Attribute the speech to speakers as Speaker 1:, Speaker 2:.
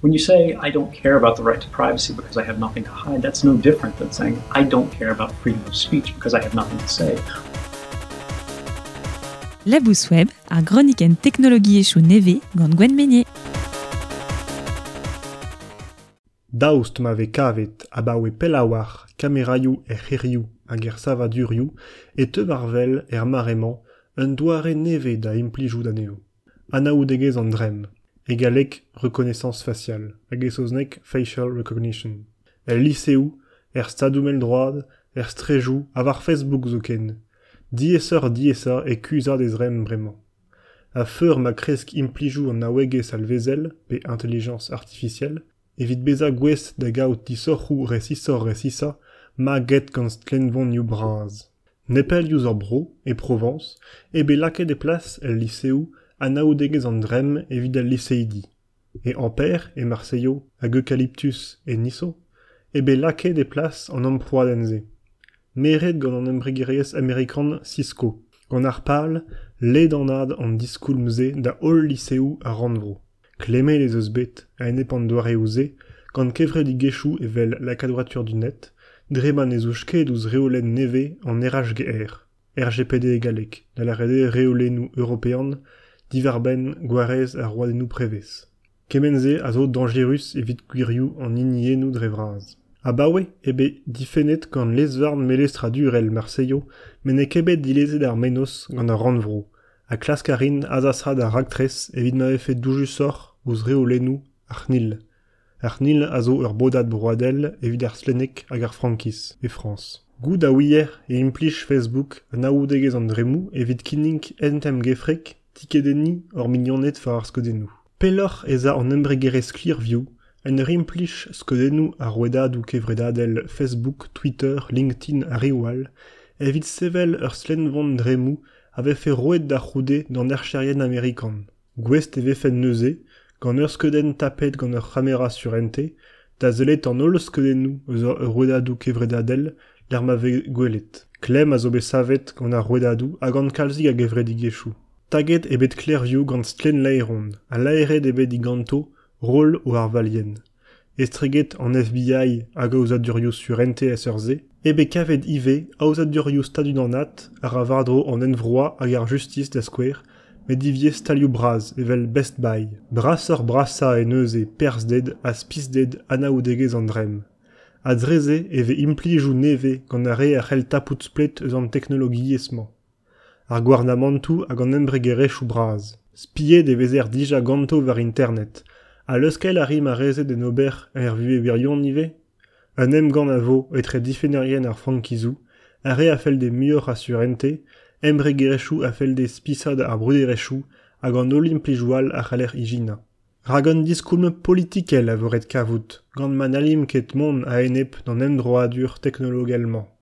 Speaker 1: When you say, I don't care about the right to privacy because I have nothing to hide, that's no different than saying, I don't care about freedom of speech because I have nothing to say.
Speaker 2: Labous Web, ar gronikenn teknologiezhioù nevez gant Gwenn Meynier.
Speaker 3: Daoust ma vez kavet abaoe pell a-walc'h kameraioù er c'hêrioù hag er savadurioù e teu war-wel er mare-mañ un doare nevez da implijout anezho. Anaoudegezh an dremm. E galleg reconnaissance faciale hag e saozneg facial recognition. El liseoù, er stadoù mell-droad, er straejoù ha war Facebook zoken. Diaesoc'h-diaesañ e kuzhat e zremm bremañ. A-feur ma kresk implijoù an naouegezh alvezel, pe intelligence artificielle, evit bezañ gouest da gaout disoc'hoù resisoc'h-resisañ maget gant stlennvonioù bras. Nepell diouzh hor bro, e Provañs, eo bet lakaet e plas el liseoù anaoudegezh an dremm evit al liseidi. E Ampère, e Marseilho hag Eukaliptus e Niso eo bet lakaet e plas an amprouadenn-se. Meret gant an embregerezh amerikan Cisco, gant ar pal ledanaat an diskoulm-se da holl liseoù ar rannvro. Klemmet ez eus bet a-enep an doareoù-se gant kevredigezhioù evel La Quadrature du Net, dre ma ne zouj ket ouzh reolenn nevez an RHGR. RGPD e galleg, da lâret eo reolennoù european diwar-benn gwarez ar roadennoù prevez. Kement-se a zo dañjerus evit gwirioù an hiniennoù dre vras. Abaoe eo bet difennet gant lez-varn melestradurel Marseilho met n'eo ket bet dilezet ar mennozh gant ar rannvro ha klask a rin azasaat ar raktres evit ma vefe doujusoc'h ouzh reolennoù ar CNIL. Ar CNIL a zo ur bodad broadel evit ar stlenneg hag ar frankiz e Frañs. Goût a ouier e implij Facebook anaoudegezh an dremmoù evit kinnig hent emgefrek tikedenniñ hor mignoned war ar skeudennoù. Pelloc'h ez a an embregerezh Clearview en ur implij skeudennoù ar rouedadoù kevredadel Facebook, Twitter, LinkedIn ha reoù all evit sevel ur stlennvon dremmoù a vefe roet da c'houde d'an archerien amerikan. Gouest e vefent neuze, gant ur skeudenn tapet gant ur c'hamera surentez, da sellet an holl skeudennoù eus ar rouedadoù kevredadel lec'h ma vez gwelet. Klemm a zo bet savet gant ar rouedadoù ha gant kalzik a gevredigezhioù. Taget eo bet Clearview gant stlenn-laeron ha laeret eo bet diganto roll o arvalien. Estreget an FBI hag aozadurioù surentez a seurt-se eo bet kavet ivez aozadurioù stadunanat a ra war-dro an envroañ hag ar justis da skouer, met ivez stalioù bras evel Best Buy. Brasoc'h-brasañ eo neuze perzhded ha spisded anaoudegezh an dremm. Ha dre-se e vez implijoù nevez gant ar re a c'hell tapout splet eus an teknologiezh-mañ. Ar gouarnamantoù hag an embregerezhioù bras. Spiet e vezer dija ganto war internet. Ha leuskel a ri ma rezed d'en ober er vuhez wirion ivez? Un emgann a vo etre difennerien ar frankizoù, ar re a fell dezhe muioc'h a surentez, embregerezhioù a fell dezhe spisaat ar bruderezhioù hag an holl implijoù all a c'haller ijinañ. Rak un diskoulm politikel a vo ret kavout, gant ma n'hallimp ket mont a-enep d'an emdroadur teknologel-mañ.